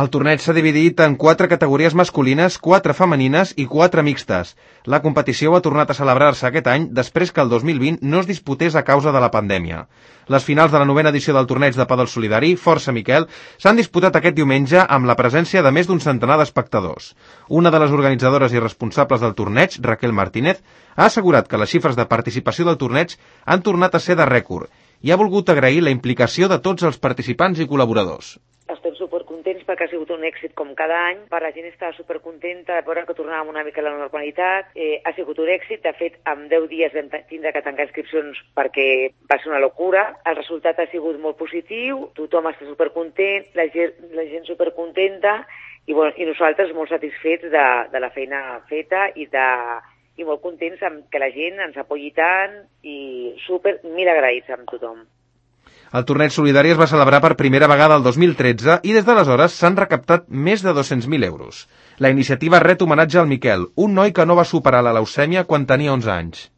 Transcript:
El torneig s'ha dividit en 4 categories masculines, 4 femenines i 4 mixtes. La competició ha tornat a celebrar-se aquest any després que el 2020 no es disputés a causa de la pandèmia. Les finals de la 9ª edició del torneig de pàdel solidari, Força Miquel, s'han disputat aquest diumenge amb la presència de més d'un centenar d'espectadors. Una de les organitzadores i responsables del torneig, Raquel Martínez, ha assegurat que les xifres de participació del torneig han tornat a ser de rècord i ha volgut agrair la implicació de tots els participants i col·laboradors. Estem supercontents perquè ha sigut un èxit com cada any. Per la gent està supercontenta de veure que tornàvem una mica a la normalitat. Ha sigut un èxit. De fet, en 10 dies vam tindre que tancar inscripcions perquè va ser una locura. El resultat ha sigut molt positiu. Tothom està supercontent, la gent supercontenta i nosaltres molt satisfets de la feina feta i molt contents amb que la gent ens apoyi tant i mil agraïts amb tothom. El torneig solidari es va celebrar per primera vegada el 2013 i des d'aleshores s'han recaptat més de 200.000 euros. La iniciativa ret homenatge al Miquel, un noi que no va superar la leucèmia quan tenia 11 anys.